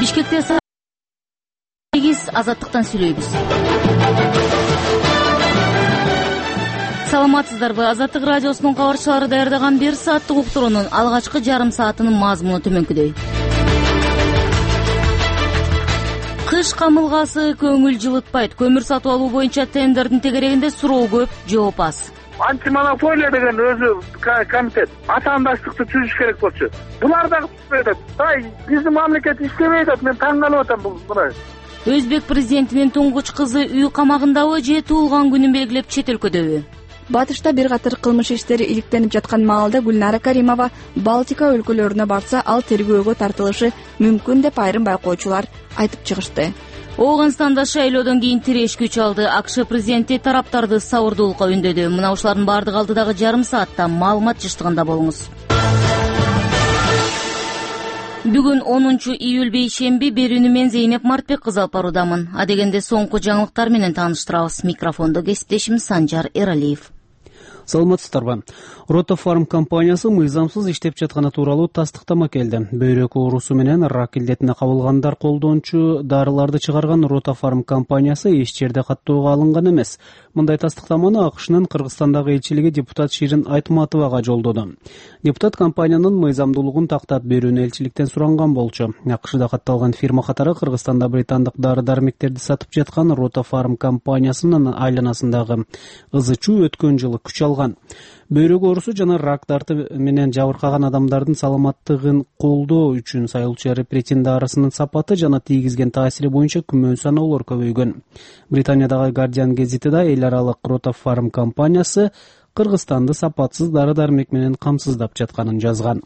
Бишкекте Азаттыктан сүйлөйбүз. Саламатсыздарбы? Азаттык радиосунун кабарчылары даярдаган 1 сааттык уктуруунун алгачкы жарым саатынын мазмуну төмөнкүдөй. Кыш камылгасы көңүл жылытпайт. Көмүр сатып алуу боюнча тендердин тегерегинде суроо көп, жооп аз. Антимонополия деген өзү комитет атаандаштыкты түзүш керек болчу. Булар дагы түзбөй атат. Биздин мамлекет иштебей атат. Мен таң калып атам мына. Өзбек президентинин туңгуч кызы үй камагындабы же туулган күнүн белгилеп чет өлкөдөбү? Батышта бир катар кылмыш иштери иликтенип жаткан маалда Гүлнара Каримова Балтика өлкөлөрүнө барса, ал тергөөгө тартылышы мүмкүн деп айрым байкоочулар айтып чыгышты. Ооганстанда шайлоодон кийин тиреш күч алды. АКШ президенти тараптарды сабырдуулукка үндөдү. Мына ушулардын бардыгы алдыдагы жарым саатта маалымат жыштыгында болуңуз. Бүгүн 10 июль бейшемби, берүүнү мен Зейнеп Мартбек кызы алып баруудамын. Адегенде соңку жаңылыктар менен тааныштырабыз. Микрофондо кесиптешим Санжар Эралиев. Саламатсыздарбы? Ротофарм компаниясы мыйзамсыз иштеп жатканы тууралуу тастыктама келди. Бөйрөк оорусу менен рак илдетине кабылгандар колдончу дарыларды чыгарган Ротофарм компаниясы эч жерде каттоого алынган эмес. Мындай тастыктаманы АКШнын Кыргызстандагы элчилиги депутат Ширин Айтматовага жолдоду. Депутат компаниянын мыйзамдуулугун тактап берүүнү элчиликтен суранган болчу. АКШда катталган фирма катары Кыргызстанда британдык дары-дармектерди сатып жаткан Ротофарм компаниясынын айланасындагы ызы-чуу өткөн жылы күч алган. Бөйрөк оорусу жана рак дарты менен жабыркаган адамдардын саламаттыгын колдоо үчүн сайылчу репрессин дарысынын сапаты жана тийгизген таасири боюнча күмөн саноолор көбөйгөн. Британиядагы Guardian гезити да эл аралык Ротофарм компаниясы Кыргызстанды сапатсыз дары-дармек менен камсыздап жатканын жазган.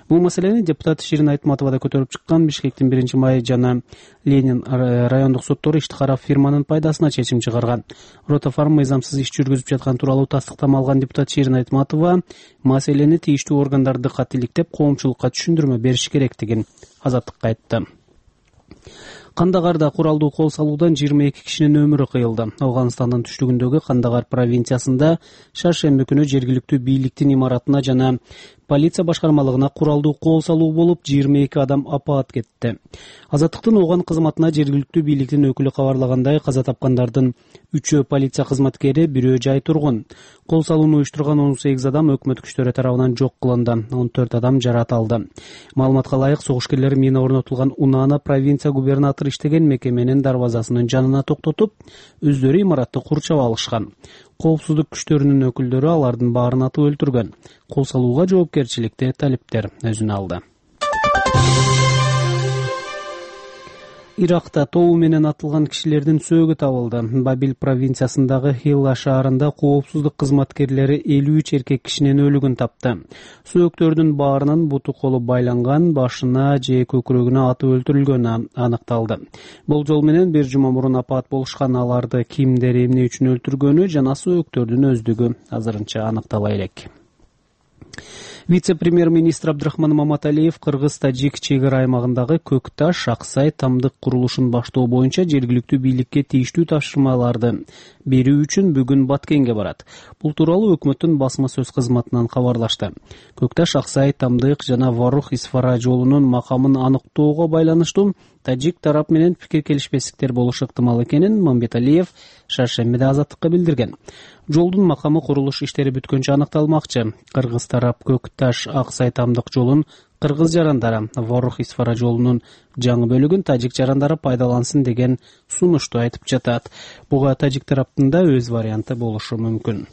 Бул маселени депутат Ширин Айтматова да көтөрүп чыккан. Бишкектин 1-май жана Ленин райондук соттору ишти карап фирманын пайдасына чечим чыгарган. Ротофарм мыйзамсыз иш жүргүзүп жаткан тууралуу тастыктама алган депутат Ширин Айтматова маселени тийиштүү органдар дыккат иликтеп, коомчулукка түшүндүрмө бериш керектигин Азаттыкка айтты. Кандагарда куралдуу кол салуудан 22 кишинин өмүрү кыйылды. Ооганстандын түштүгүндөгү Кандагар провинциясында шаршемби күнү жергиликтүү бийликтин имаратына жана полиция башкармалыгына куралдуу кол салуу болуп 22 адам апаат кетти. Азаттыктын ооган кызматына жергиликтүү бийликтин өкүлү кабарлагандай, каза тапкандардын 3-өө полиция кызматкери, 1-өө жай тургун. Кол салууну уюштурган 18 адам өкмөт күчтөрү тарабынан жок кылынды. 14 адам жарат алды. Маалыматка ылайык, согуш мина орнотулган Унана провинция губернатору иштеген мекеменин дарбазасынын жанына токтотуп, өздөрү имаратты курчап алышкан. Коопсуздук күчтөрүнүн өкүлдөрү алардын баарын атып өлтүргөн. Кол салууга жоопкерчиликти талиптер өзүнө алды. Иракта тобу менен атылган кишилердин сөөгү табылды. Бабил провинциясындагы Хилла шаарында коопсуздук кызматкерлери 53 эркек кишинин өлүгүн тапты. Сөөктөрдүн баарынын буту колу байланган, башына же көкүрөгүнө атып өлтүрүлгөнү аныкталды. Болжол менен 1 жума мурун апаат болушкан. Аларды кимдер эмне үчүн өлтүргөнү жана сөөктөрдүн өздүгү азырынча аныктала элек. Вице-премьер-министр Абдрахман Маматалиев Кыргыз-Тажик чек ара аймагындагы Көкташ, Аксай, Тамдык курулушун баштоо боюнча жергиликтүү бийликке тийиштүү тапшырмаларды берүү үчүн бүгүн Баткенге барат. Бул тууралуу өкмөттүн басма сөз кызматынан кабарлашты. Көкташ, Аксай, Тамдык жана Варух-Исфара жолунун макамын аныктоого байланыштуу тажик тарап менен пикир келишпестиктер болушу ыктымал экенин Мамбеталиев шаршембиде Азаттыкка билдирген. Жолдун макамы курулуш иштери бүткөнчө аныкталмакчы. Кыргыз тарап Көкташ, Аксай, Тамдык жолун кыргыз жарандары, Варух-Исфара жолунун жаңы бөлүгүн тажик жарандары пайдалансын деген сунушту айтып жатат. Буга тажик тараптын да өз варианты болушу мүмкүн.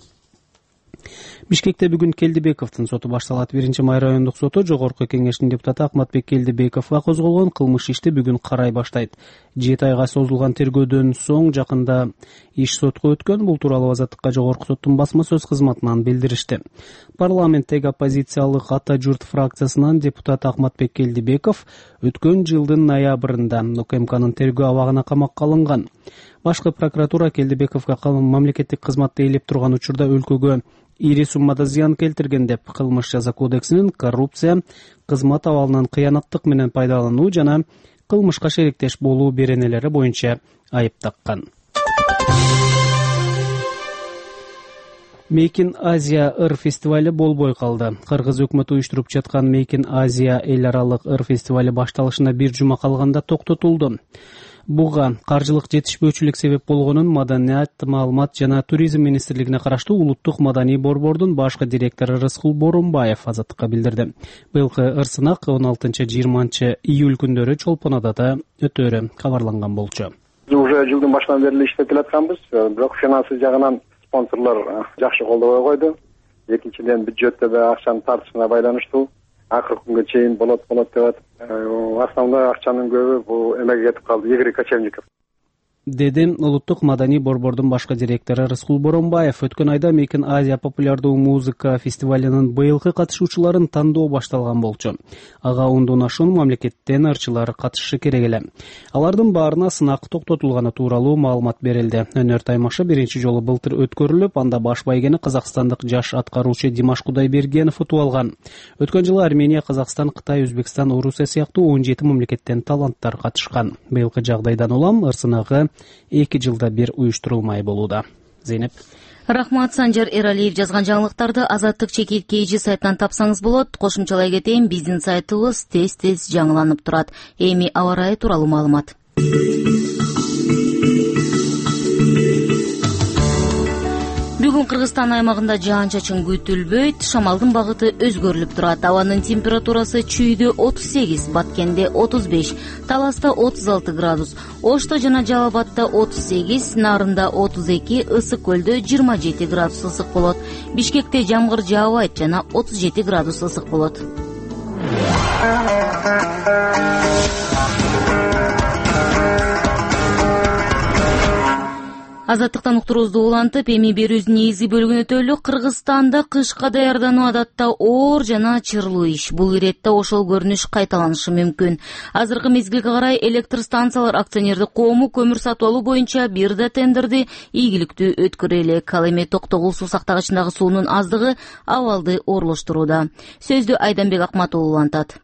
Бишкекте бүгүн Келдибековдун соту башталат. 1-май райондук соту Жогорку кеңештин депутаты Акматбек Келдибековго козголгон кылмыш ишти бүгүн карай баштайт. 7 айга созулган тергөөдөн соң жакында иш сотко өткөн. Бул тууралуу Азаттыкка Жогорку соттун басма сөз кызматынан билдиришти. Парламенттеги оппозициялык Ата журт фракциясынан депутат Акматбек Келдибеков өткөн жылдын ноябрында УКМКнын тергөө абагына камакка алынган. Башкы прокуратура Келдибековго мамлекеттик кызматты ээлеп турган учурда өлкөгө ири суммада зыян келтирген деп кылмыш жаза кодексинин коррупция, кызмат абалынан кыянаттык менен пайдалануу жана кылмышка шериктеш болуу беренелери боюнча айып таккан. Make in Asia ыр фестивали болбой калды. Кыргыз өкмөтү уюштуруп жаткан Make in Asia эл аралык ыр фестивали башталышына бир жума калганда токтотулду. Буга каржылык жетишпөөчүлүк себеп болгонун Маданият, маалымат жана туризм министрлигине караштуу улуттук маданий борбордун башкы директору Рыскул Боронбаев Азаттыкка билдирди. Быйылкы ыр сынак 16-20 июль күндөрү Чолпон Адада өтөөрү кабарланган болчу. Уже жылдын башынан бери иштеп келатканбыз, бирок финансы жагынан спонсорлор жакшы колдобой койду. Экинчиден бюджетте да акчанын тартышына байланыштуу. Акыркы күнгө чейин болот деп атып, основной акчанын көбү бул эмеге кетип калды, Игорь Кочевников. Деди улуттук маданий борбордун башкы директору Рыскул Боронбаев. Өткөн айда Make in Asia популярдуу музыка фестивалынын быйылкы катышуучуларын тандоо башталган болчу. Ага ондон ашуун мамлекеттен ырчылар катышышы керек эле. Алардын баарына сынак токтотулганы тууралуу маалымат берилди. Өнөр таймашы биринчи жолу былтыр өткөрүлүп, анда баш байгени казакстандык жаш аткаруучу Димаш Кудайбергенов утуп алган. Өткөн жылы Армения, Казакстан, Кытай, Өзбекстан, Орусия сыяктуу 17 мамлекеттен таланттар катышкан. Быйылкы жагдайдан улам ыр сынагы 2 жылда бир уюштурулмай болууда. Зейнеп. Рахмат. Санжар Эралиев жазган жаңылыктарды Азаттык чекит KG сайтынан тапсаңыз болот. Кошумчалай кетейин, биздин сайтыбыз тез жаңыланып турат. Эми аба ырайы тууралуу маалымат. Бүгүн Кыргызстан аймагында жаан-чачын күтүлбөйт, шамалдын багыты өзгөрүлүп турат. Абанын температурасы чүйдө 38, Баткенде 35, Таласта 36 градус, Ошто жана Жалал Абадта 38, Нарында 32, Ысык көлдө 27 градус ысык болот. Бишкекте жамгыр жаабайт жана 37 градус ысык болот. Азаттыктан уктуруубузду улантып, эми берүүбүздүн негизги бөлүгүнө өтөлү. Кыргызстанда кышка даярдануу адатта оор жана чырлуу иш. Бул иретте ошол көрүнүш кайталанышы мүмкүн. Азыркы мезгилге карай электр станциялар акционердик коому көмүр сатып алуу боюнча бир да тендерди ийгиликтүү өткөрө элек. Ал эми Токтогул суу сактагычындагы суунун аздыгы абалды оорлоштурууда. Сөздү Айданбек Акматов улантат.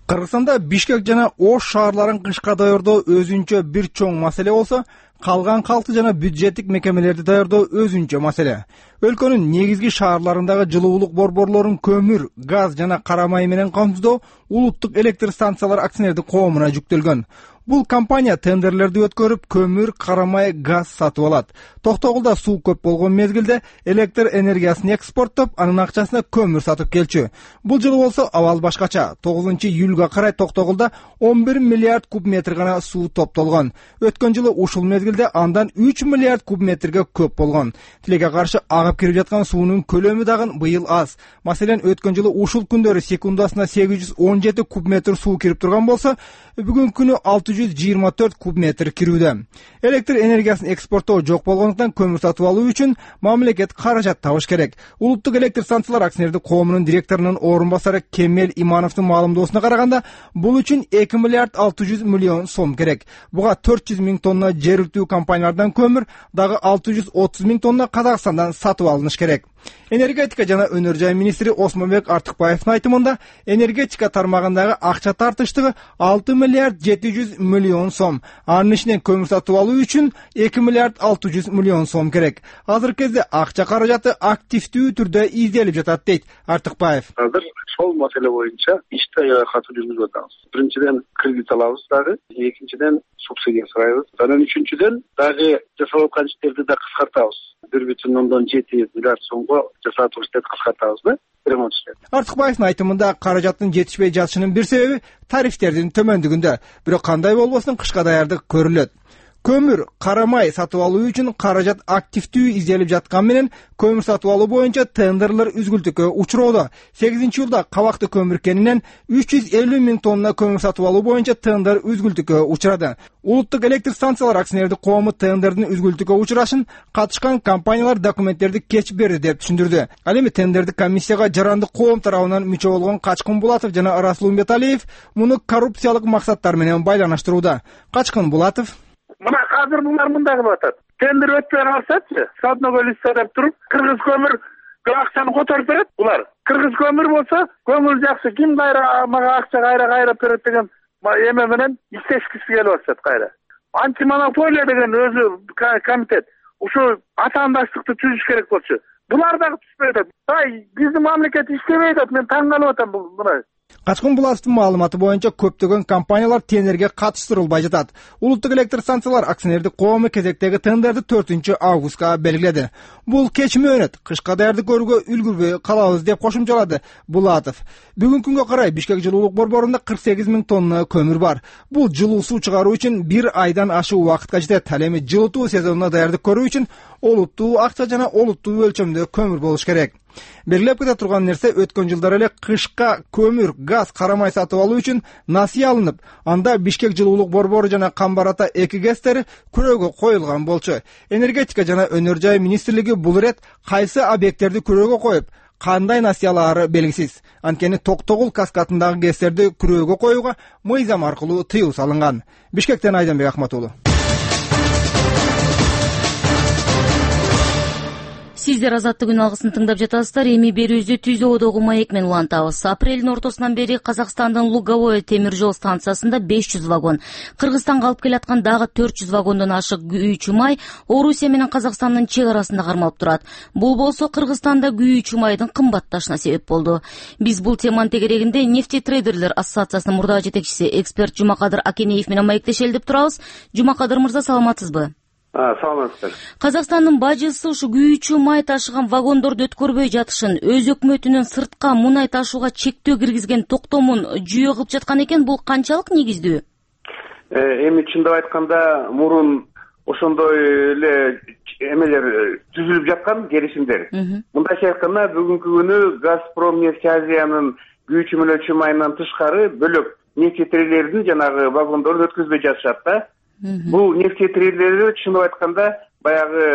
Кыргызстанда Бишкек жана Ош шаарларын кышка даярдоо өзүнчө бир чоң маселе болсо, калган калкты жана бюджеттик мекемелерди даярдоо өзүнчө маселе. Өлкөнүн негизги шаарларындагы жылуулук борборлорун көмүр, газ жана кара май менен камсыздоо улуттук электр станциялар акционердик коомуна жүктөлгөн. Бул компания тендерлерди өткөрүп, көмүр, кара май, газ сатып алат. Токтогулда суу көп болгон мезгилде электр энергиясын экспорттоп, анын акчасына көмүр сатып келчү. Бул жылы болсо абал башкача. 9-июлга карай Токтогулда 11 миллиард куб метр гана суу топтолгон. Өткөн жылы ушул мезгилде андан 3 миллиард куб метрге көп болгон. Тилекке каршы агып кирип жаткан суунун көлөмү дагы быйыл аз. Маселен, өткөн жылы ушул күндөрү секундасына 817 куб метр суу кирип турган болсо, бүгүнкү күнү 624 куб метр кирүүдө. Электр энергиясын экспорттоо жок болгондуктан көмүр сатып алуу үчүн мамлекет каражат табыш керек. Улуттук электр станциялар акционердик коомунун директорунун орун басары Кемел Имановдун маалымдоосуна караганда, бул үчүн 2 миллиард 600 миллион сом керек. Буга 400 миң тонна жергиликтүү компаниялардан көмүр, дагы 630 миң тонна Казакстандан сатып алыныш керек. Энергетика жана өнөр жай министри Осмонбек Артыкбаевдин айтымында, энергетика тармагындагы акча тартыштыгы 6 миллиард 700 миллион сом. Анын ичинен көмүр сатып алуу үчүн 2 миллиард 600 миллион сом керек. Азыркы кезде акча каражаты активдүү түрдө изделип жатат, дейт Артыкбаев. Азыр сол маселе боюнча ишти аябай катуу жүргүзүп атабыз. Биринчиден кредит алабыз дагы, экинчиден субсидия сурайбыз. Анан үчүнчүдөн дагы жасалып аткан иштерди да кыскартабыз. 1,7 миллиард сомго жасатып иштерди кыскартабыз да. Артыкбаевдин айтымында, каражаттын жетишпей жатышынын бир себеби тарифтердин төмөндүгүндө. Бирок кандай болбосун кышка даярдык көрүлөт. Көмүр, кара май сатып алуу үчүн каражат активдүү изделип жаткан менен, көмүр сатып алуу боюнча тендерлер үзгүлтүккө учуроодо. 8-июлда кабакты көмүр кенинен 350 миң тонна көмүр сатып алуу боюнча тендер үзгүлтүккө учурады. Улуттук электр станциялар акционердик коому тендердин үзгүлтүккө учурашын катышкан компаниялар документтерди кеч берди деп түшүндүрдү. Ал эми тендердик комиссияга жарандык коом тарабынан мүчө болгон Качкын Булатов жана Расул Умбеталиев муну коррупциялык максаттар менен байланыштырууда. Качкын Булатов: Мына азыр булар мындай кылып атат. Тендер өтпөй калсачы, садного листа деп туруп, кыргыз көмүр акчаны которуп берет булар. Кыргыз көмүр болсо, көмүр жакшы, ким кайра мага акча кайра берет деген эме менен иштешкиси келип атат кайра. Антимонополия деген өзү комитет ушу атаандаштыкты түзүш керек болчу. булар дагы түшпөй атат. Биздин мамлекет иштебей атат. Мен таң калып атам мына. Качкын Булатовдун маалыматы боюнча көптөгөн компаниялар тендерге катыштырылбай жатат. Улуттук электр станциялар акционердик коому кезектеги тендерди 4-августка белгиледи. Бул кеч мөөнөт, кышка даярдык көрүүгө үлгүрбөй калабыз деп кошумчалады Булатов. Бүгүнкү күнгө карай Бишкек жылуулук борборунда 48 000 тонна көмүр бар. Бул жылуу суу чыгаруу үчүн 1 айдан ашык убакытка жетет. Ал эми жылытуу сезонуна даярдык көрүү үчүн олуттуу акча жана олуттуу өлчөмдө көмүр болуш керек. Белгилеп кете турган нерсе, өткөн жылдары эле кышка көмүр, газ карамай сатып алуу үчүн насыя алынып, анда Бишкек жылуулук борбору жана Камбар Ата 2 ГЭСтери күрөөгө коюлган болчу. Энергетика жана өнөр жай министрлиги бул ирет кайсы объекттерди күрөөгө коюп, кандай насыялаары белгисиз. Анткени Токтогул каскадындагы ГЭСтерди күрөөгө коюуга мыйзам аркылуу тыюу салынган. Бишкектен Айданбек Акматуулу. Сиздер Азаттык күн алгысын тыңдап жатасыздар. Эми берүүбүздү Түздө Одогу маек менен улантабыз. Апрелдин ортосунан бери Казакстандын Луговое темир жол станциясында 500 вагон, Кыргызстанга алып келаткан дагы 400 вагондон ашык күйүүчү май Орусия менен Казакстандын чек арасында кармалып турат. Бул болсо Кыргызстанда күйүүчү майдын кымбатташына себеп болду. Биз бул теманын тегерегинде нефтетрейдерлер ассоциациясынын мурдагы жетекчиси эксперт Жумакадыр Акенеев менен маектешели деп турабыз. Жумакадыр мырза, саламатсызбы? Саламатсыздар. Казакстандын бажысы ушу күйүүчү май ташыган вагондорду өткөрбөй жатышын, өз өкмөтүнүн сыртка мунай ташууга чектөө киргизген токтомун жүйө кылып жаткан экен. Бул канчалык негиздүү? Эми чындап айтканда, мурун ошондой эле эмелер түзүлүп жаткан келишимдер. Мындайча айтканда, бүгүнкү күнү Газпром нефть Азиянын күйүүчү мөлөчү майынан тышкары бөлөк нефтетрейлердин жанагы вагондорун өткөзбөй жатышат да. Бул нефтетрейлер чындап айтканда баягы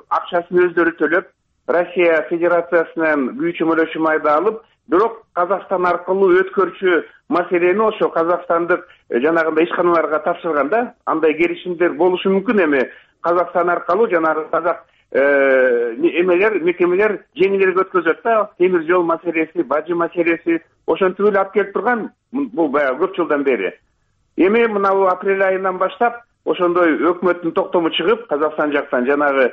акчасын өздөрү төлөп, Россия Федерациясынан күйүүчү мөлөчү майды алып, бирок Казакстан аркылуу өткөрчү маселени ошо казакстандык жанагындай ишканаларга тапшырган да. Андай келишимдер болушу мүмкүн. Эми Казакстан аркылуу жанагы казак эмелер, мекемелер жеңилирээк өткөзөт да. Темир жол маселеси, бажы маселеси ошентип эле алып келип турган. Бул баягы көп жылдан бери. Эми мына апрель айынан баштап ошондой өкмөттүн токтому чыгып, Казакстан жактан жанагы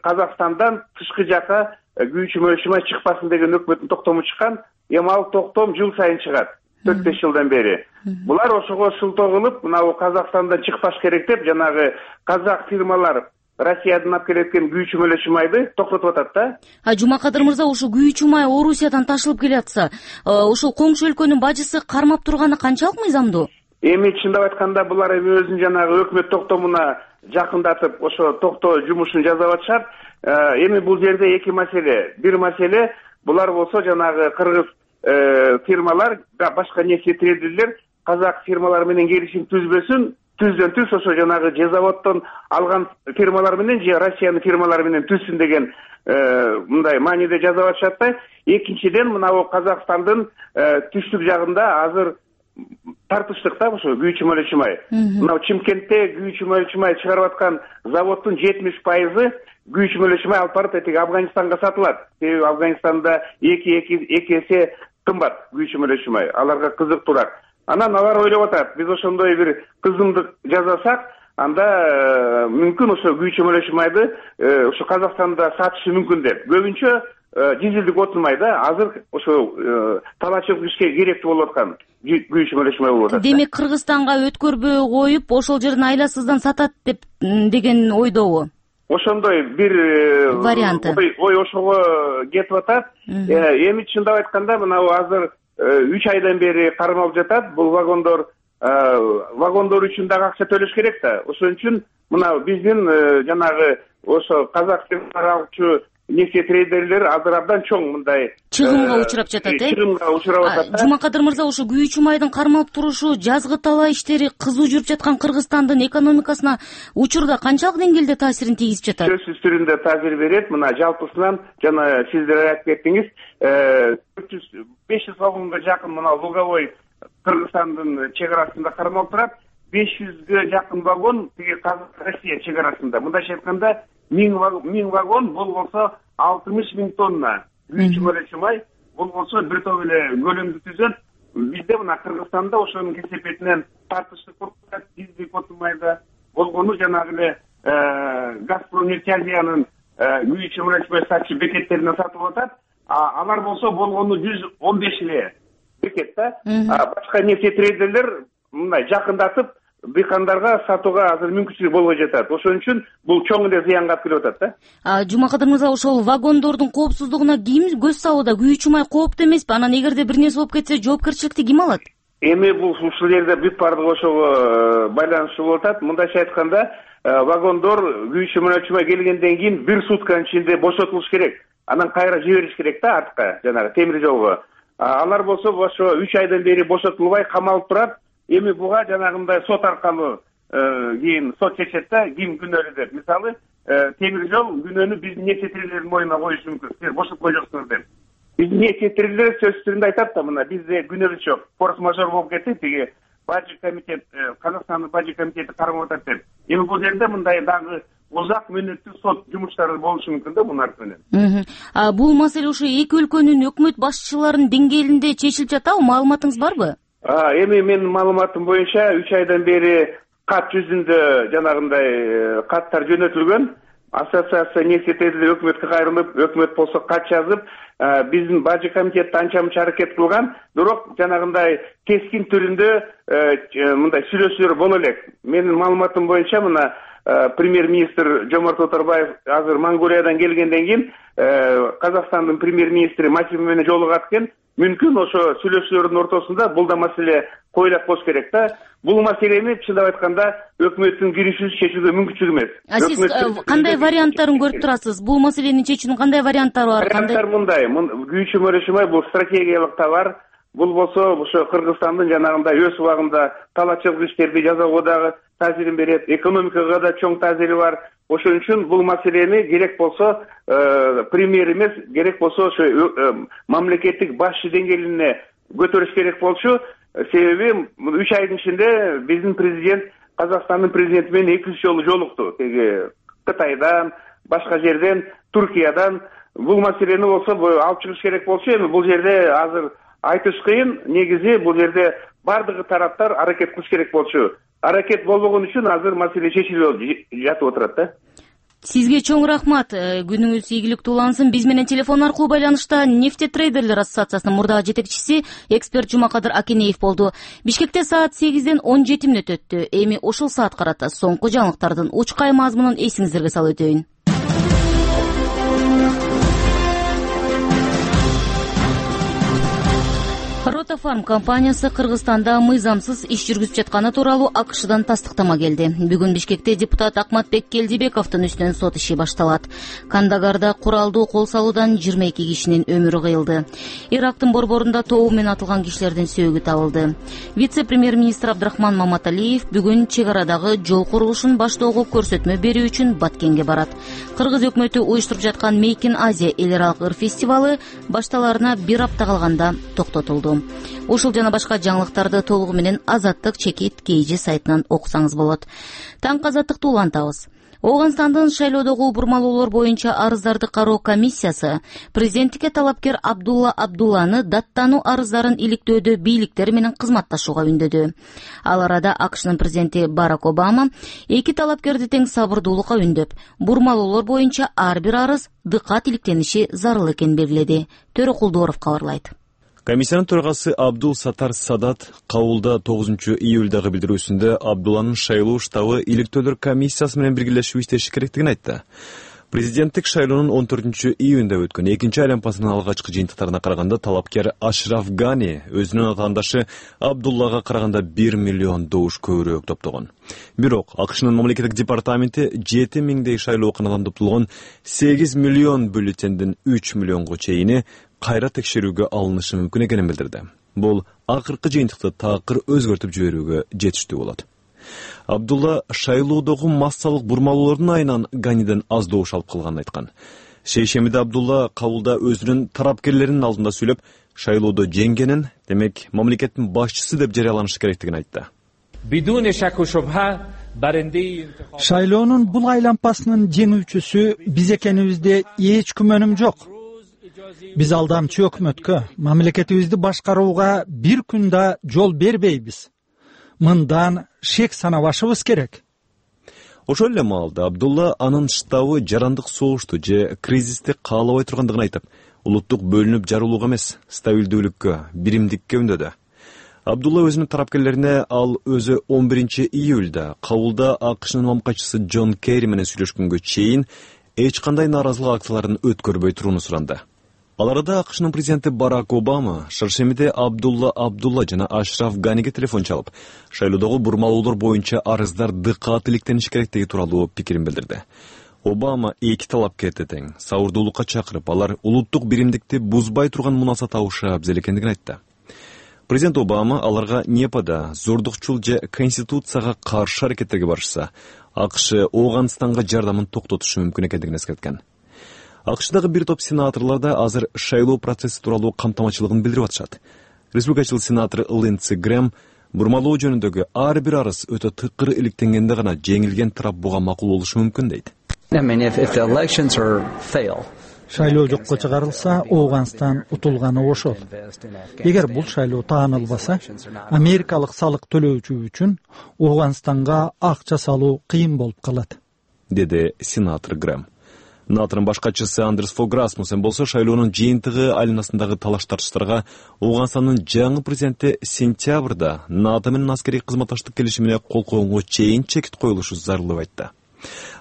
Казакстандан тышкы жака күйүүчү мөлөчү май чыкпасын деген өкмөттүн токтому чыккан. Эми ал токтом жыл сайын чыгат, 4-5 жылдан бери. Булар ошого шылтоо кылып, мына Казакстандан чыкпаш керек деп, жанагы казак фирмалар Россиядан алып келеткен күйүүчү мөлөчү майды токтотуп атат да. Жумакадыр мырза, ушу күйүүчү май Орусиядан ташылып келатса, ушул коңшу өлкөнүн бажысы кармап турганы канчалык мыйзамдуу? Эми чындап айтканда, булар эми өзүнүн жанагы өкмөт токтомуна жакындатып, ошо токтоо жумушун жасап атышат. Эми бул жерде эки маселе. Бир маселе, булар болсо жанагы кыргыз фирмалар, башка нефтетрейдерлер казак фирмалар менен келишим түзбөсүн, түздөн түз ошо жанагы же заводдон алган фирмалар менен же Россиянын фирмалары менен түзсүн деген мындай мааниде жасап атышат да. Экинчиден, мына Казакстандын түштүк жагында азыр тартыштык да ошо күйүүчү мөлөчү май. Мына Чымкентте күйүүчү мөлөчү май чыгарып аткан заводдун 70% күйүүчү мөлөчү май алып барып этиги Афганистанга сатылат. Себеби Афганистанда эки эсе кымбат күйүүчү мөлөчү май. Аларга кызыктуураак. Анан алар ойлоп атат, биз ошондой бир кызымдык жасасак, анда мүмкүн ошо күйүүчү мөлөчү майды ошо Казакстанда сатышы мүмкүн деп. Көбүнчө дизелдик отун май да, азыр ошо талачылык ишке керектүү болуп аткан күйүүчү мөлөчү май болуп атат. Демек Кыргызстанга өткөрбөй коюп, ошол жерден айласыздан сатат деген ойдобу? Ошондой бир варианты. Ой ошого кетип атат. Эми чындап айтканда, мына азыр 3 айдан бери кармалып жатат. Бул вагондор үчүн дагы акча төлөш керек да. Ошон үчүн мына биздин жанагы ошо казак алчу нефтетрейдерлер азыр абдан чоң мындай чыгымга учурап жатат, чыгымга учурап атат. Жумакадыр мырза, ушу күйүүчү майдын кармалып турушу, жазгы талаа иштери кызуу жүрүп жаткан Кыргызстандын экономикасына учурда канчалык деңгээлде таасирин тийгизип жатат? Сөзсүз түрүндө таасир берет. Мына жалпысынан жана сиздер айтып кеттиңиз, 500 вагонго жакын мына Луговой Кыргызстандын чек арасында кармалып турат. 500ге жакын вагон тиги Россия чек арасында. Мындайча айтканда, 1000 вагон, бул болсо 60 000 тонна күйүүчү мөлөчү май, бул болсо бир топ эле көлөмдү түзөт. Бизде мына Кыргызстанда ошонун кесепетинен тартыштык болуп, дизелдик отун майда болгону жанагы эле Газпром нефть Азиянын үй ичи мына сатчы бекеттеринен сатып атат. Алар болсо болгону 115 эле бекет да. Башка нефтетрейдерлер мындай жакындатып дыйкандарга сатууга азыр мүмкүнчүлүк болбой жатат. Ошон үчүн бул чоң эле зыянга алып келип атат да. Жумакадыр мырза, ошол вагондордун коопсуздугуна ким көз салууда? Күйүүчү май кооптуу эмеспи? Анан эгерде бир нерсе болуп кетсе, жоопкерчиликти ким алат? Эми бул ушул жерде бүт бардыгы ошого байланыштуу болуп атат. Мындайча айтканда, вагондор күйүүчү май келгенден кийин бир сутканын ичинде бошотулуш керек. Анан кайра жибериш керек да артка, жанагы темир жолго. Алар болсо ошо 3 айдан бери бошотулбай камалып турат. Эми буга жанагындай сот аркылуу кийин сот чечет да, ким күнөөлүү деп. Мисалы, темир жол күнөөнү биздин нефтетрейдердин мойнуна коюшу мүмкүн. Силер бошотпой жоксуңар деп. Биздин нефтетрейдер сөз түрүндө айтат да, мына бизде күнөөлүү жок. Форс-мажор болуп кетти, тиги бажы комитет, Казакстандын бажы комитети кармап атат деп. Эми бул жерде мындай дагы узак мөөнөттүү сот жумуштары болушу мүмкүн да бунун менен. Бул маселе ошо эки өлкөнүн өкмөт башчыларынын деңгээлинде чечилип жатабы? Маалыматыңыз барбы? Эми менин маалыматым боюнча 3 айдан бери кат жүзүндө жанагындай каттар жөнөтүлгөн. Ассоциация нефтетрейдерлер өкмөткө кайрылып, өкмөт болсо кат жазып, биздин бажы комитет анча мынча аракет кылган, бирок жанагындай кескин түрүндө мындай сүйлөшүүлөр боло элек. Менин маалыматым боюнча мына премьер-министр Жомарт Оторбаев азыр Монголиядан келгенден кийин Казакстандын премьер-министри Масим менен жолугат экен. Мүмкүн ошо сүйлөшүүлөрдүн ортосунда бул да маселе коюлат болуш керек да. Бул маселени чындап айтканда өкмөттүн киришүүсүз чечүүгө мүмкүнчүлүк эмес. Сиз кандай варианттарын көрүп турасыз? Бул маселени чечүүнүн кандай варианттары бар? Варианттар мындай. Күйүүчү май бул стратегиялык товар. Бул болсо ошо Кыргызстандын жанагындай өз убагында талаачылык иштерди жасоого дагы таасирин берет, экономикага да чоң таасири бар. Ошон үчүн бул маселени керек болсо премьер эмес, керек болсо ошо мамлекеттик башчы деңгээлине көтөрүш керек болчу. Себеби 3 айдын ичинде биздин президент Казакстандын президенти менен 2 жолу жолукту. Теги Кытайдан, башка жерден, Туркиядан бул маселени болсо алып чыгыш керек болчу. Эми бул жерде азыр айтыш кыйын. Негизи бул жерде бардыгы тараптар аракет кылыш керек болчу. Аракет болбогон үчүн азыр маселе чечилип жатып отурат да. Сизге чоң рахмат. Күнүңүз ийгиликтүү улансын. Биз менен телефон аркылуу байланышта Нефтетрейдерлер ассоциациясынын мурдагы жетекчиси эксперт Жумакадыр Акенеев болду. Бишкекте саат 8ден 17 мүнөт өттү. Эми ушул саат карата соңку жаңылыктардын учкай мазмунун эсиңиздерге салып өтөйүн. Ротофарм компаниясы Кыргызстанда мыйзамсыз иш жүргүзүп жатканы тууралуу АКШдан тастыктама келди. Бүгүн Бишкекте депутат Акматбек Келдибековдун үстүнөн сот иши башталат. Кандагарда куралдуу кол салуудан 22 кишинин өмүрү кыйылды. Ирактын борборунда тобу менен атылган кишилердин сөөгү табылды. Вице-премьер-министр Абдрахман Маматалиев бүгүн чек арадагы жол курулушун баштоого көрсөтмө берүү үчүн Баткенге барат. Кыргыз өкмөтү уюштуруп жаткан Make in Asia эл аралык ыр фестивалы башталарына 1 апта калганда токтотулду. Ушул жана башка жаңылыктарды толугу менен Азаттык чекит KG сайтынан окусаңыз болот. Таң азаттыкты улантабыз. Ооганстандын шайлоодогу бурмалоолор боюнча арыздарды кароо комиссиясы президенттикке талапкер Абдулла Абдулланы даттануу арыздарын иликтөөдө бийликтер менен кызматташууга үндөдү. Ал арада АКШнын президенти Барак Обама эки талапкерди тең сабырдуулукка үндөп, бурмалоолор боюнча ар бир арыз дыкат иликтениши зарыл экенин белгиледи. Төрөкулдуоров кабарлайт. Комиссиянын төрагасы Абдул Сатар Садат кабулда 9-июлдагы билдирүүсүндө Абдулланын шайлоо штабы иликтөөлөр комиссиясы менен биргелешип иштеши керектигин айтты. Президенттик шайлоонун 14-июнда өткөн экинчи айланпасынын алгачкы жыйынтыктарына караганда талапкер Ашраф Гани өзүнүн атаандашы Абдуллага караганда 1 миллион добуш көбүрөөк топтогон. Бирок АКШнын мамлекеттик департаменти 7 миңдей шайлооканадан топтолгон 8 миллион бюллетендин 3 миллионго чейини кайра текшерүүгө алынышы мүмкүн экенин билдирди. Бул акыркы жыйынтыкты такыр өзгөртүп жиберүүгө жетиштүү болот. Абдулла шайлоодогу массалык бурмалоолордун айынан Ганиден аз добуш алып калганын айткан. Шейшемиде Абдулла кабулда өзүнүн тарапкерлеринин алдында сүйлөп, шайлоодо жеңгенин, демек мамлекеттин башчысы деп жарыяланышы керектигин айтты. Шайлоонун бул айланпасынын жеңүүчүсү биз экенибизде эч күмөнүм жок. Биз алдамчы өкмөткө, мамлекетибизди башкарууга бир күн да жол бербейбиз. Мындан шек санабашыбыз керек. Ошол эле маалда Абдулла анын штабы жарандык согушту же кризисти каалабай тургандыгын айтып, улуттук бөлүнүп жарылууга эмес, стабилдүүлүккө, биримдикке үндөдү. Абдулла өзүнүн тарапкерлерине ал өзү 11 июлда Кабулда АКШнын мамкачысы Джон Керри менен сүйлөшкөнгө чейин эч кандай нааразылык акцияларын өткөрбөй турууну суранды. Ал арада АКШнын президенти Барак Обама шаршемиде Абдулла жана Ашраф Ганиге телефон чалып, шайлоодогу бурмалоолор боюнча арыздар дыкаат иликтениши керектиги тууралуу пикирин билдирди. Обама эки талапкерди тең сабырдуулукка чакырып, алар улуттук биримдикти бузбай турган мунаса табышы абзел экендигин айтты. Президент Обама аларга НЕПада зордукчул же конституцияга каршы аракеттерге барышса, АКШ Ооганстанга жардамын токтотушу мүмкүн экендигин эскерткен. АКШдагы бир топ сенаторлор да азыр шайлоо процесси тууралуу камтамачылыгын билдирип атышат. Республикачыл сенатор Линдси Грэм бурмалоо жөнүндөгү ар бир арыз өтө тыкыр иликтенгенде гана жеңилген тарап буга макул болушу мүмкүн дейт. Шайлоо жокко чыгарылса, Ооганстан утулганы ошол. Эгер бул шайлоо таанылбаса, америкалык салык төлөөчү үчүн Ооганстанга акча салуу кыйын болуп калат, деди сенатор Грэм. НАТОнун башкачысы Андерс Фог Расмуссен болсо шайлоонун жыйынтыгы айланасындагы талаш-тартыштарга Ооганстандын жаңы президенти сентябрда НАТО менен аскерий кызматташтык келишимине кол койгонго чейин чекит коюлушу зарыл деп айтты.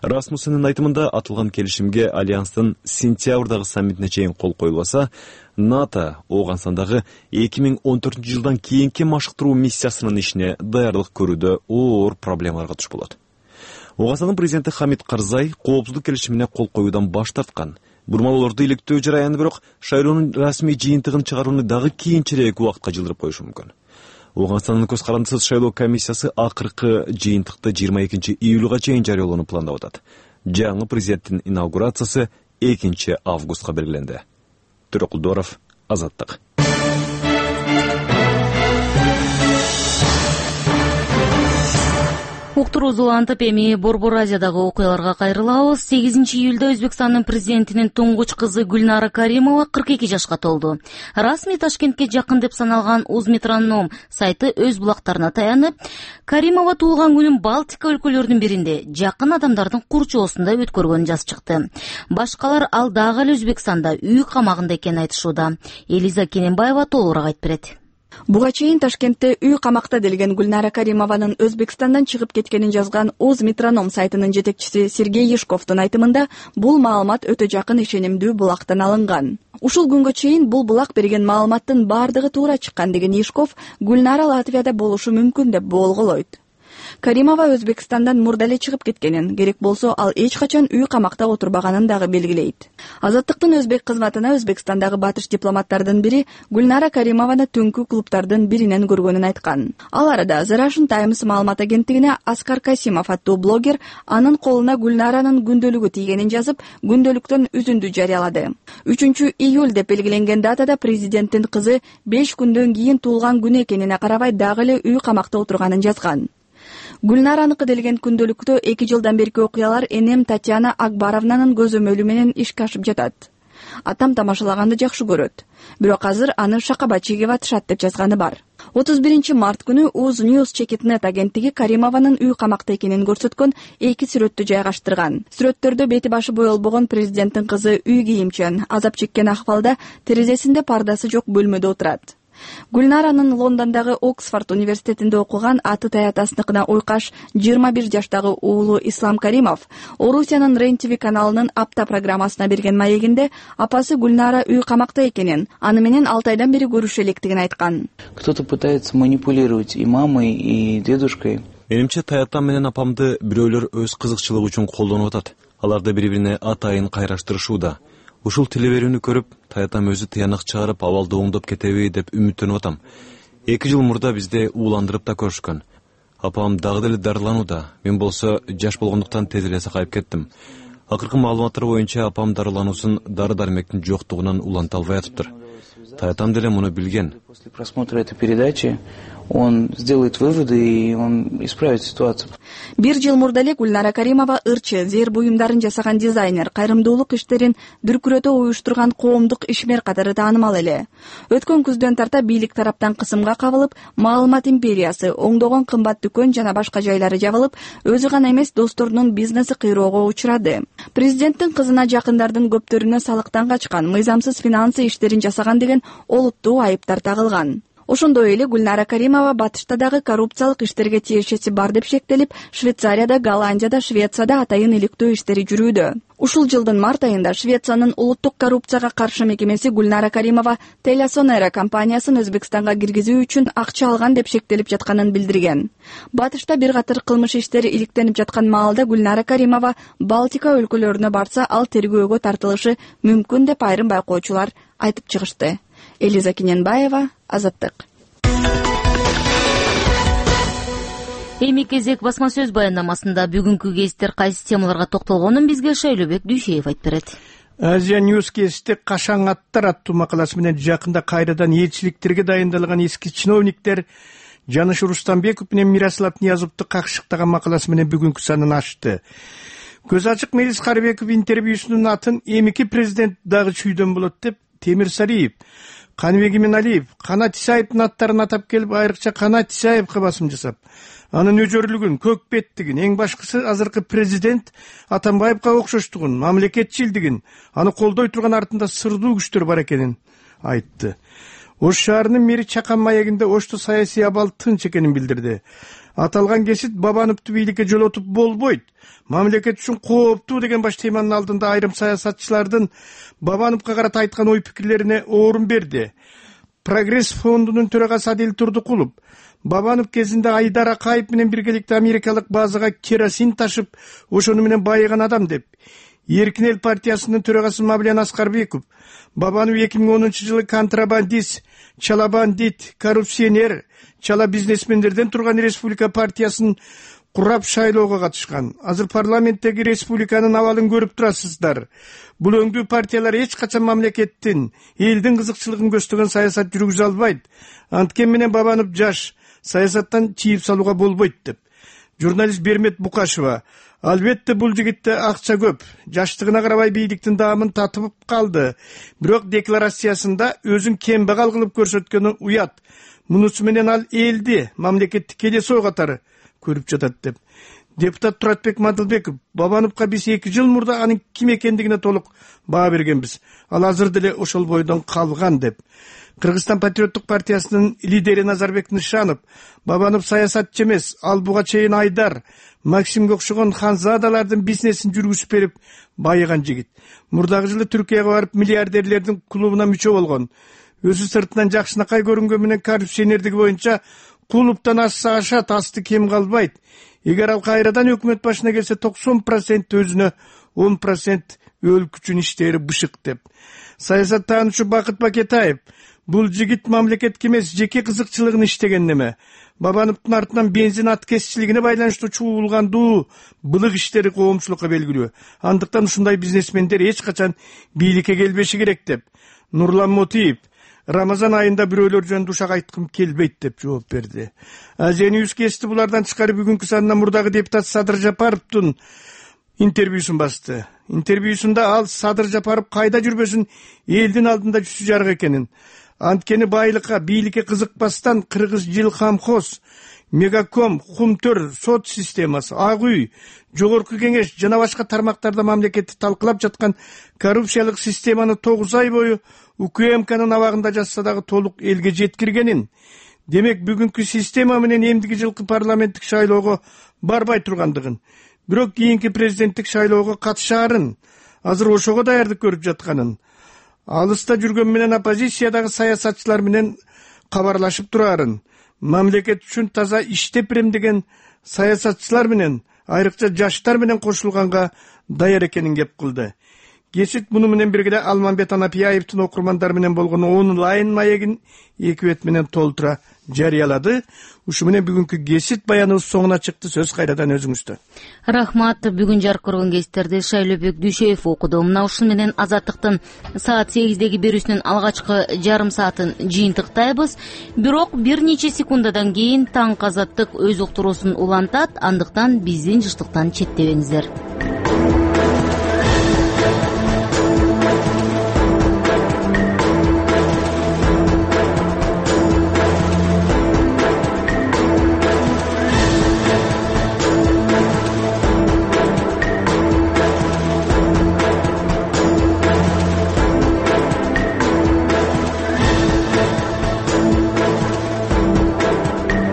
Расмуссендин айтымында атылган келишимге альянстын сентябрдагы саммитине чейин кол коюлбаса, НАТО Ооганстандагы 2014 жылдан кийинки машыктыруу миссиясынын ишине даярдык көрүүдө оор проблемаларга туш болот. Ооганстандын президенти Хамид Карзай коопсуздук келишимине кол коюудан баш тарткан. Бурмалоолорду иликтөө жараяны бирок шайлоонун расмий жыйынтыгын чыгарууну дагы кийинчерээк убакытка жылдырып коюшу мүмкүн. Ооганстандын көз карандысыз шайлоо комиссиясы акыркы жыйынтыкты 22 июлга чейин жарыялоону пландап атат. Жаңы президенттин инаугурациясы 2 августка белгиленди. Төрөкулдоров, Азаттык. Уктуруу улантып, эми Борбор Азиядагы окуяларга кайрылабыз. 8 июлда Өзбекстандын президентинин туңгуч кызы Гүлнара Каримова 42 жашка толду. Расмий Ташкентке жакын деп саналган Узметроном сайты өз булактарына таянып, Каримова туулган күнүн Балтика өлкөлөрүнүн биринде жакын адамдардын курчоосунда өткөргөнүн жазып чыкты. Башкалар ал дагы эле Өзбекстанда үй камагында экенин айтышууда. Элиза Кененбаева толугураак айтып берет. Буга чейин Ташкентте үй камакта делген Гүлнара Каримованын Өзбекстандан чыгып кеткенин жазган Узметроном сайтынын жетекчиси Сергей Ешковдун айтымында бул маалымат өтө жакын ишенимдүү булактан алынган. Ушул күнгө чейин бул булак берген маалыматтын бардыгы туура чыккан деген Ешков Гүлнара Латвияда болушу мүмкүн деп болголойт. Каримова Өзбекстандан мурда эле чыгып кеткенин, керек болсо ал эч качан үй камакта отурбаганын дагы белгилейт. Азаттыктын өзбек кызматына Өзбекстандагы батыш дипломаттардын бири Гүлнара Каримованы түнкү клубтардын биринен көргөнүн айткан. Ал арада The Russian Times маалымат агенттигине Аскар Касимов аттуу блогер анын колуна Гүлнаранын күндөлүгү тийгенин жазып, күндөлүктөн үзүндү жарыялады. 3 июль деп белгиленген датада президенттин кызы 5 күндөн кийин туулган күнү экенине карабай дагы эле үй камакта отурганын жазган. Гүлнараныкы делген күндөлүктө 2 жылдан берки окуялар энем Татьяна Акбаровнанын көзөмөлү менен ишке ашып жатат. Атам тамашалаганды жакшы көрөт. Бирок азыр аны шакаба чегип атышат деп жазганы бар. 31 март күнү Уз News Checkinnet агенттиги Каримованын үй камакта экенин көрсөткөн 2 сүрөттү жайгаштырган. Сүрөттөрдө бети башы боелбогон президенттин кызы үй кийимчен, азап чеккен акыбалда терезесинде пардасы жок бөлмөдө отурат. Гүлнаранын Лондондогу Оксфорд университетинде окуган аты таятасыныкына ойкаш 21 жаштагы уулу Ислам Каримов Орусиянын Рен-ТВ каналынын апта программасына берген маегинде апасы Гүлнара үй камакта экенин, аны менен 6 айдан бери көрүшө электигин айткан. Кто-то пытается манипулировать и мамой, и дедушкой. Менимче таятам менен апамды бирөөлөр өз кызыкчылыгы үчүн колдонуп атат. Аларды бири-бирине атайын кайраштырышууда. Ушул телеберүүнү көрүп, таятам өзү тыянак чыгарып, абалды оңдоп кетеби деп үмүттөнүп атам. 2 жыл мурда бизде ууландырып да көрүшкөн. Апам дагы деле дарыланууда. Мен болсо жаш болгондуктан тез эле сакайып кеттим. Акыркы маалыматтар боюнча апам дарылануусун дары-дармектин жоктугунан уланта албай атыптыр. Таятам деле муну билген. После просмотра этой передачи он сделает выводы и он исправит ситуацию. Бир жыл мурда эле Гүлнара Каримова ырчы, зээр буюмдарын жасаган дизайнер, кайрымдуулук иштерин дүркүрөтө уюштурган коомдук ишмер катары таанымал эле. Өткөн күздөн тарта бийлик тараптан кысымга кабылып, маалымат империясы, оңдогон кымбат дүкөн жана башка жайлары жабылып, өзү гана эмес досторунун бизнеси кыйроого учурады. Президенттин кызына жакындардын көптөрүнө салыктан качкан, мыйзамсыз финансы иштерин жасаган деген олуттуу айыптар тагылган. Ошондой эле Гүлнара Каримова батышта дагы коррупциялык иштерге тиешеси бар деп шектелип, Швейцарияда, Голландияда, Швецияда атайын иликтөө иштери жүрүүдө. Ушул жылдын март айында Швециянын улуттук коррупцияга каршы мекемеси Гүлнара Каримова Телесонера компаниясын Өзбекстанга киргизүү үчүн акча алган деп шектелип жатканын билдирген. Батышта бир катар кылмыш иштери иликтенип жаткан маалда Гүлнара Каримова Балтика өлкөлөрүнө барса, ал тергөөгө тартылышы мүмкүн деп айрым байкоочулар айтып чыгышты. Элиза Киненбаева, Азаттык. Эми кезек басма сөз баяндамасында бүгүнкү кездер кайсы темаларга токтолгонун бизге Шайлообек Дүйшеев айтып берет. Азия Ньюс кезде кашаң аттар аттуу макаласы менен жакында кайрадан элчиликтерге дайындалган эски чиновниктер Жаныш Рустамбеков менен Мирослав Ниязовду какшыктаган макаласы менен бүгүнкү санын ачты. Көз ачык Мелис Карыбеков интервьюсунун атын эмики президент дагы чүйдөн болот деп Темир Сариев, Каныбек Иманалиев, Канат Исаевдин аттарын атап келип, айрыкча Канат Исаевге басым жасап, анын өжөрлүгүн, көкбеттигин, эң башкысы азыркы президент Атамбаевга окшоштугун, мамлекетчилдигин, аны колдой турган артында сырдуу күчтөр бар экенин айтты. Ош шаарынын мэри Чакан маегинде Ошто саясий абал тынч экенин билдирди. Аталган кесит Бабановду бийликке жолотуп болбойт, мамлекет үчүн кооптуу деген баш теманын алдында айрым саясатчылардын Бабановго карата айткан ой пикирлерине орун берди. Прогресс фондунун төрагасы Адил Турдукулов Бабанов кезинде Айдар Акаев менен биргеликте америкалык базага керосин ташып, ошону менен байыган адам деп. Эркин эл партиясынын төрагасы Мавлен Аскарбеков Бабанов 2010-жылы контрабандист, чала бандит, коррупционер, чала бизнесмендерден турган республика партиясын курап шайлоого катышкан. Азыр парламенттеги республиканын абалын көрүп турасыздар. Бул өңдүү партиялар эч качан мамлекеттин, элдин кызыкчылыгын көздөгөн саясат жүргүзө албайт. Анткени менен Бабанов жаш, саясаттан чийип салууга болбойт деп. Журналист Бермет Букашева албетте бул жигитте акча көп, жаштыгына карабай бийликтин даамын татып калды. Бирок декларациясында өзүн кембагал кылып көрсөткөнү уят. Мунусу менен ал элди, мамлекетти келесоо катары көрүп жатат деп. Депутат Туратбек Мадылбеков Бабановго биз 2 жыл мурда анын ким экендигине толук баа бергенбиз. Ал азыр деле ошол бойдон калган деп. Кыргызстан патриоттук партиясынын лидери Назарбек Нышанов Бабанов саясатчы эмес, ал буга чейин Айдар, Максимге окшогон ханзадалардын бизнесин жүргүзүп берип байыган жигит. Мурдагы жылы Түркияга барып миллиардерлердин клубуна мүчө болгон. Өзү сыртынан жакшынакай көрүнгөн менен коррупционердиги боюнча клубтан ашса ашат, асты кем калбайт. Эгер ал кайрадан өкмөт башына келсе 90% өзүнө, 10% өлкө үчүн иштери бышык деп. Саясаттануучу Бакыт Бакетаев бул жигит мамлекетке эмес, жеке кызыкчылыгын иштеген неме. Бабановдун артынан бензин аткезчилигине байланыштуу чуулгандуу былык иштери коомчулукка белгилүү. Андыктан ушундай бизнесмендер эч качан бийликке келбеши керек деп. Нурлан Мотиев Рамазан айында бирөөлөр жөнүндө ушак айткым келбейт деп жооп берди. Азия Ньюс кести булардан тышкары бүгүнкү санында мурдагы депутат Садыр Жапаровдун интервьюсун басты. Интервьюсунда ал Садыр Жапаров кайда жүрбөсүн элдин алдында жүзү жарык экенин, анткени байлыкка, бийликке кызыкпастан Кыргыз Жилкомхоз, Мегаком, Хумтөр, сот системасы, Ак үй, Жогорку кеңеш жана башка тармактарда мамлекетти талкылап жаткан коррупциялык системаны 9 ай бою УКМКнын абагында жатса дагы толук элге жеткиргенин, демек бүгүнкү система менен эмдиги жылкы парламенттик шайлоого барбай тургандыгын, бирок кийинки президенттик шайлоого катышаарын, азыр ошого даярдык көрүп жатканын, алыста жүргөн менен оппозициядагы саясатчылар менен кабарлашып турарын, мамлекет үчүн таза иштеп берем деген саясатчылар менен, айрыкча жаштар менен кошулганга даяр экенин кеп кылды. Кесит муну менен бирге Алмамбет Анапияевдин окурмандар менен болгон онлайн маегин 2 бет менен толтура жарыялады. Ушу менен бүгүнкү кесит баяныбыз соңуна чыкты. Сөз кайрадан өзүңүздө. Рахмат. Бүгүн жаркырган кеситтерди Шайлообек Дүйшөев окуду. Мына ушун менен Азаттыктын саат 8деги берүүсүнүн алгачкы жарым саатын жыйынтыктайбыз. Бирок бир нече секундадан кийин таңкы Азаттык өз уктуруусун улантат. Андыктан биздин жыштыктан четтебеңиздер.